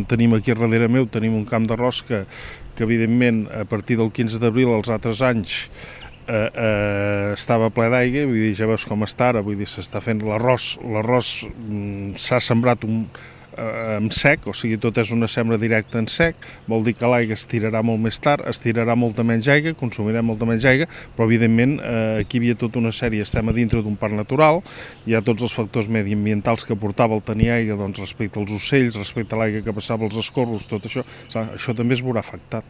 Tenim aquí darrere meu, tenim un camp d'arròs que evidentment a partir del 15 d'abril els altres anys estava ple d'aigua, vull dir, ja veus com està ara, vull dir, s'està fent l'arròs s'ha sembrat en sec, o sigui, tot és una sembra directa en sec, vol dir que l'aigua es tirarà molt més tard, es tirarà molta menys aigua, consumirem molta menys aigua, però evidentment aquí hi havia tota una sèrie, estem a dintre d'un parc natural, hi ha tots els factors mediambientals que portava el tenir aigua, doncs respecte als ocells, respecte a l'aigua que passava als escorros, tot això, això també es veurà afectat.